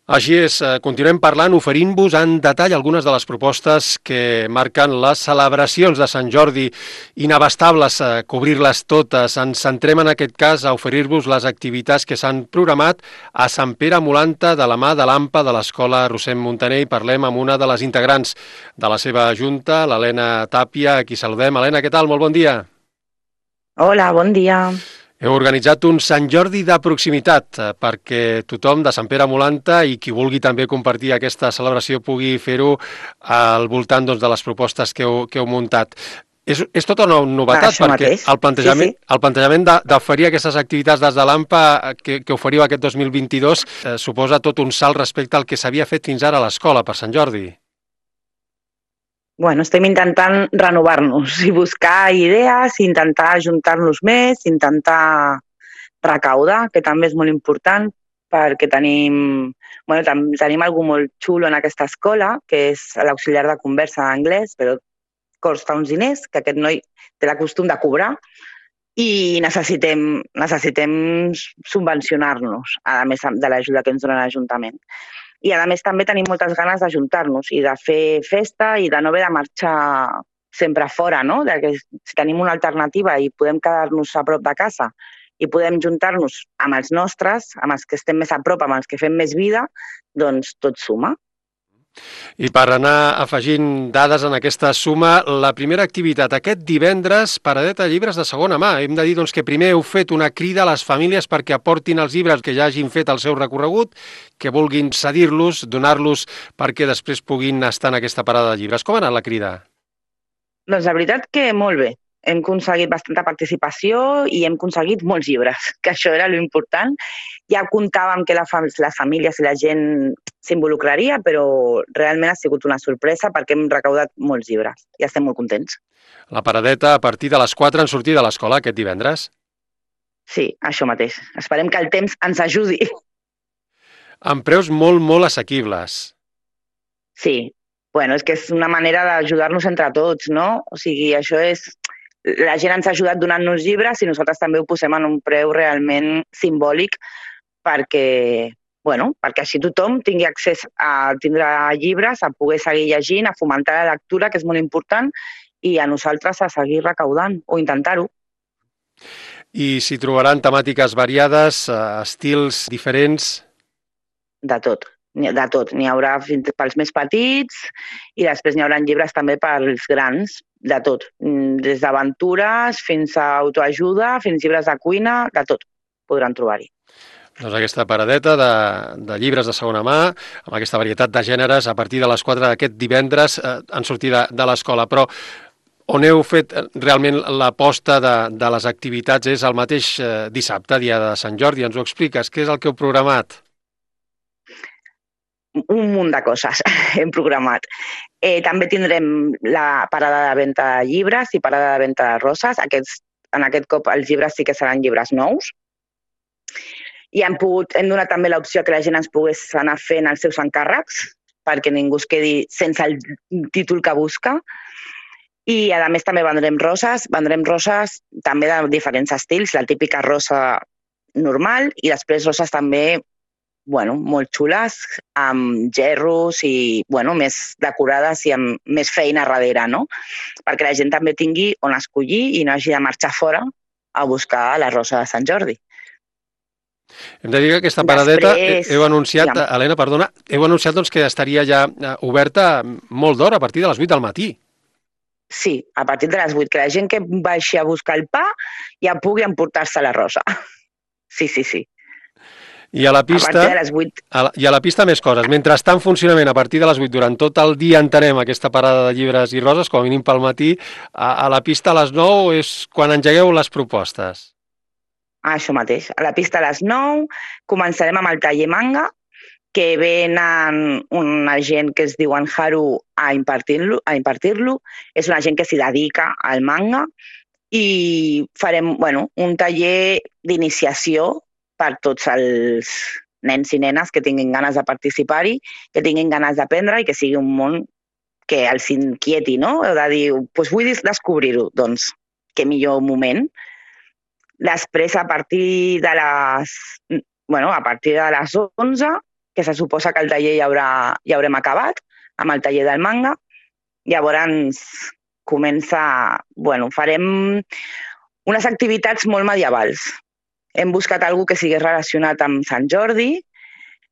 Així és, continuem parlant, oferint-vos en detall algunes de les propostes que marquen les celebracions de Sant Jordi, inabastables, cobrir-les totes. Ens centrem en aquest cas a oferir-vos les activitats que s'han programat a Sant Pere Molanta de la mà de l'AMPA de l'Escola Rossem Montaner i parlem amb una de les integrants de la seva junta, l'Helena Tàpia, a qui saludem. Helena, què tal? Molt bon dia. Hola, bon dia. Heu organitzat un Sant Jordi de proximitat perquè tothom de Sant Pere Molanta i qui vulgui també compartir aquesta celebració pugui fer-ho al voltant de les propostes que heu muntat. És tota una novetat Això perquè mateix. el Sí, sí. plantejament d'oferir aquestes activitats des de l'AMPA que oferiu aquest 2022 suposa tot un salt respecte al que s'havia fet fins ara a l'escola per Sant Jordi. Bueno, estem intentant renovar-nos i buscar idees, intentar ajuntar-nos més, intentar recaudar, que també és molt important, perquè tenim algú molt xulo en aquesta escola, que és l'auxiliar de conversa d'anglès, però costa uns diners, que aquest noi té la costum de cobrar, i necessitem subvencionar-nos, a més de l'ajuda que ens dona l'Ajuntament. I a més també tenim moltes ganes d'ajuntar-nos i de fer festa i de no haver de marxar sempre fora, no? Que si tenim una alternativa i podem quedar-nos a prop de casa i podem juntar-nos amb els nostres, amb els que estem més a prop, amb els que fem més vida, doncs tot suma. I per anar afegint dades en aquesta suma, la primera activitat aquest divendres, paradeta de llibres de segona mà. Hem de dir que primer heu fet una crida a les famílies perquè aportin els llibres que ja hagin fet el seu recorregut, que vulguin cedir-los, donar-los perquè després puguin estar en aquesta parada de llibres. Com ha anat la crida? Doncs la veritat que molt bé. Hem aconseguit bastanta participació i hem aconseguit molts llibres, que això era l'important. Ja comptàvem que les famílies i la gent s'involucraria, però realment ha sigut una sorpresa perquè hem recaudat molts llibres i estem molt contents. La paradeta a partir de les 4 en sortir de l'escola aquest divendres? Sí, això mateix. Esperem que el temps ens ajudi. Amb preus molt, molt assequibles. Sí, bueno, és que és una manera d'ajudar-nos entre tots, no? O sigui, això és... La gent ens ha ajudat donant-nos llibres i nosaltres també ho posem en un preu realment simbòlic perquè així tothom tingui accés a tindre llibres, a poder seguir llegint, a fomentar la lectura, que és molt important, i a nosaltres a seguir recaudant o intentar-ho. I s'hi trobaran temàtiques variades, estils diferents... De tot. De tot. N'hi haurà fins pels més petits i després n'hi haurà llibres també pels grans, de tot. Des d'aventures fins a autoajuda, fins llibres de cuina, de tot podran trobar-hi. Doncs aquesta paradeta de llibres de segona mà, amb aquesta varietat de gèneres, a partir de les 4 d'aquest divendres en sortir de l'escola. Però on heu fet realment l'aposta de les activitats és el mateix dissabte, dia de Sant Jordi. Ens ho expliques? Què és el que heu programat? Un munt de coses hem programat. També tindrem la parada de venda de llibres i parada de venda de roses. En aquest cop els llibres sí que seran llibres nous. I hem donat també l'opció que la gent ens pogués anar fent els seus encàrrecs perquè ningú es quedi sense el títol que busca. I a més també vendrem roses també de diferents estils, la típica rosa normal i després roses també molt xules, amb gerros i més decorades i amb més feina darrere, no? Perquè la gent també tingui on escollir i no hagi de marxar fora a buscar la rosa de Sant Jordi. Hem de dir que aquesta paradeta heu anunciat, Helena, perdona, heu anunciat que estaria ja oberta molt d'hora, a partir de les 8 del matí. Sí, a partir de les 8, que la gent que baixi a buscar el pa ja pugui emportar-se la rosa. Sí. I a la pista, a la pista més coses. Mentre està en funcionament a partir de les 8, durant tot el dia entenem aquesta parada de llibres i roses, com a mínim pel matí, a la pista a les 9 és quan engegueu les propostes. Això mateix. A la pista a les 9 començarem amb el taller manga, que venen una gent que es diu Haru a impartir-lo. És una gent que s'hi dedica al manga i farem un taller d'iniciació per tots els nens i nenes que tinguin ganes de participar-hi, que tinguin ganes d'aprendre i que sigui un món que els inquieti, no? De dir, vull descobrir-ho, doncs, que millor moment. Després, a partir de les 11, que se suposa que el taller ja haurem acabat, amb el taller del manga. Llavors farem unes activitats molt medievals. Hem buscat alguna que sigui relacionat amb Sant Jordi,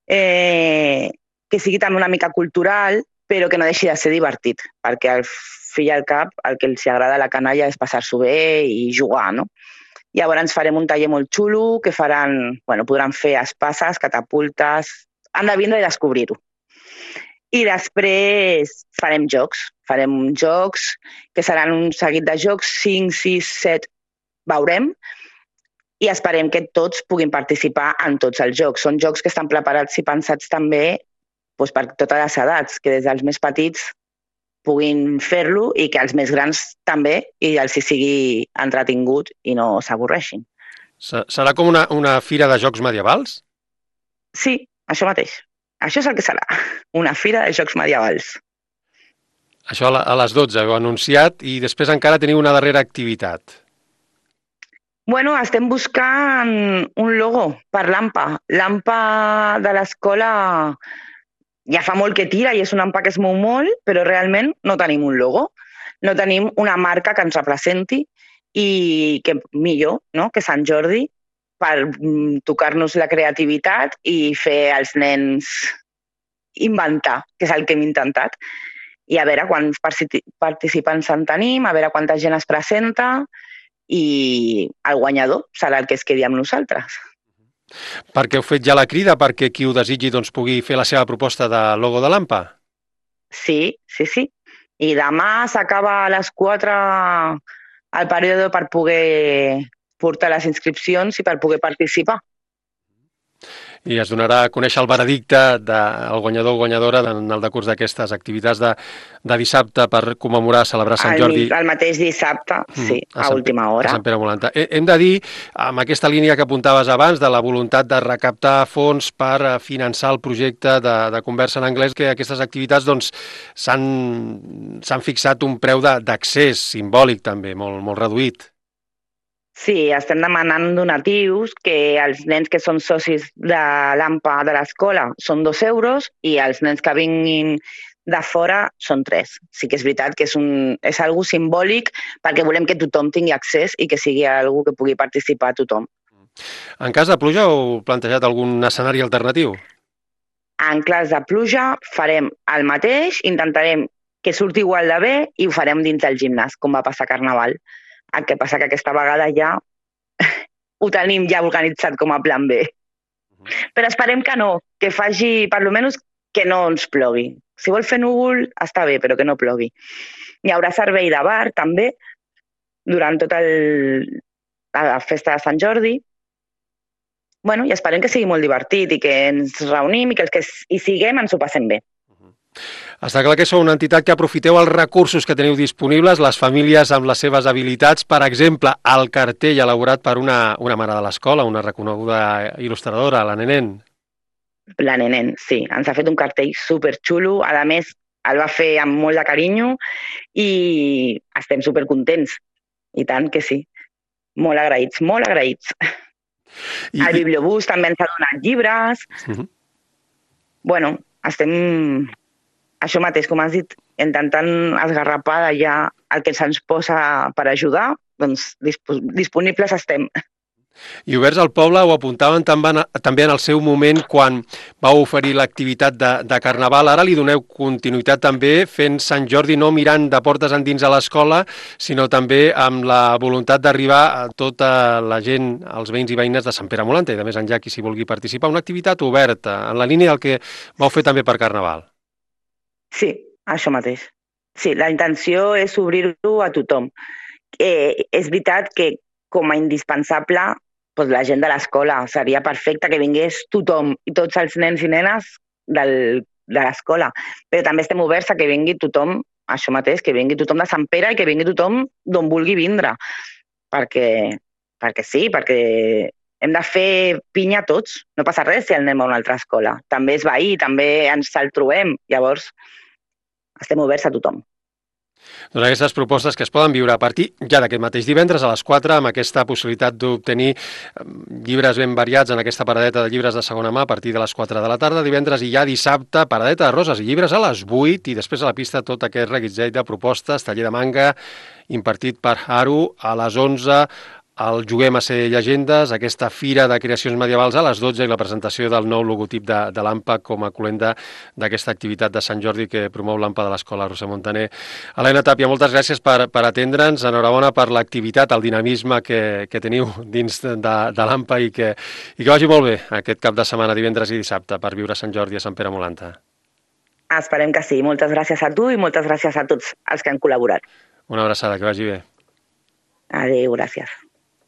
que sigui també una mica cultural, però que no deixi de ser divertit, perquè al fill i al cap el que els agrada a la canalla és passar-s'ho bé i jugar, no? Llavors farem un taller molt xulo que podran fer espases, catapultes, han de vindre i descobrir-ho. I després farem jocs que seran un seguit de jocs, 5, 6, 7, veurem, i esperem que tots puguin participar en tots els jocs. Són jocs que estan preparats i pensats també per totes les edats, que des dels més petits puguin fer-lo i que els més grans també i els hi sigui entretingut i no s'avorreixin. Serà com una fira de jocs medievals? Sí, això mateix. Això és el que serà, una fira de jocs medievals. Això a les 12 ho he anunciat i després encara teniu una darrera activitat. Estem buscant un logo per l'AMPA. L'AMPA de l'escola ja fa molt que tira i és una AMPA que es mou molt, però realment no tenim un logo. No tenim una marca que ens representi i que millor, no?, que Sant Jordi, per tocar-nos la creativitat i fer als nens inventar, que és el que hem intentat. I a veure quants participants en tenim, a veure quanta gent es presenta i el guanyador serà el que es quedi amb nosaltres. Perquè heu fet ja la crida perquè qui ho desitgi pugui fer la seva proposta de logo de l'AMPA? Sí. I demà s'acaba a les 4 el període per poder portar les inscripcions i per poder participar. I es donarà a conèixer el veredicte del guanyador o guanyadora en el decurs d'aquestes activitats de dissabte per commemorar, celebrar Sant Jordi. El mateix dissabte, sí, a última hora. A Sant Pere Molanta. Hem de dir, amb aquesta línia que apuntaves abans, de la voluntat de recaptar fons per finançar el projecte de Conversa en Anglès, que aquestes activitats s'han fixat un preu d'accés simbòlic també, molt reduït. Sí, estem demanant donatius, que els nens que són socis de l'AMPA de l'escola són 2 euros i els nens que vinguin de fora són 3. Sí que és veritat que és algo simbòlic perquè volem que tothom tingui accés i que sigui algo que pugui participar tothom. En cas de pluja heu plantejat algun escenari alternatiu? En cas de pluja farem el mateix, intentarem que surti igual de bé i ho farem dins del gimnàs, com va passar a Carnaval. El que passa que aquesta vegada ja ho tenim ja organitzat com a plan B. Però esperem que no, que faci, per almenys, que no ens plogui. Si vol fer núvol, està bé, però que no plogui. Hi haurà servei de bar, també, durant tota la festa de Sant Jordi. I esperem que sigui molt divertit i que ens reunim i que els que hi siguem ens ho passem bé. Està clar que sou una entitat que aprofiteu els recursos que teniu disponibles, les famílies amb les seves habilitats. Per exemple, el cartell elaborat per una mare de l'escola, una reconeguda il·lustradora, la Nenén. La Nenén, sí. Ens ha fet un cartell superxulo. A més, el va fer amb molt de carinyo i estem supercontents. I tant que sí. Molt agraïts, molt agraïts. El Bibliobús també ens ha donat llibres. Estem... Això mateix, com has dit, intentant esgarrapar d'allà el que se'ns posa per ajudar, doncs disponibles estem. I oberts al poble ho apuntaven també en el seu moment quan vau oferir l'activitat de Carnaval. Ara li doneu continuïtat també fent Sant Jordi no mirant de portes endins a l'escola, sinó també amb la voluntat d'arribar a tota la gent, als veïns i veïnes de Sant Pere Molanta i de més enllà qui s'hi vulgui participar. Una activitat oberta, en la línia del que vau fer també per Carnaval. Sí, això mateix. Sí, la intenció és obrir-ho a tothom. És veritat que com a indispensable doncs la gent de l'escola seria perfecte que vingués tothom i tots els nens i nenes de l'escola, però també estem oberts a que vingui tothom, això mateix, que vingui tothom de Sant Pere i que vingui tothom d'on vulgui vindre, perquè sí, perquè hem de fer pinya tots, no passa res si anem a una altra escola, també és veí, també ens el trobem, llavors estem oberts a tothom. Doncs aquestes propostes que es poden viure a partir ja d'aquest mateix divendres a les 4, amb aquesta possibilitat d'obtenir llibres ben variats en aquesta paradeta de llibres de segona mà a partir de les 4 de la tarda, divendres i ja dissabte, paradeta de roses i llibres a les 8 i després a la pista tot aquest reguitzell de propostes, taller de manga impartit per Haru a les 11, el Juguem a ser llegendes, aquesta fira de creacions medievals a les 12 i la presentació del nou logotip de l'AMPA com a colenda d'aquesta activitat de Sant Jordi que promou l'AMPA de l'Escola Roser Montaner. Helena Tàpia, moltes gràcies per atendre'ns, enhorabona per l'activitat, el dinamisme que teniu dins de l'AMPA i que vagi molt bé aquest cap de setmana, divendres i dissabte, per viure Sant Jordi a Sant Pere Molanta. Esperem que sí. Moltes gràcies a tu i moltes gràcies a tots els que han col·laborat. Una abraçada, que vagi bé. Adéu, gràcies.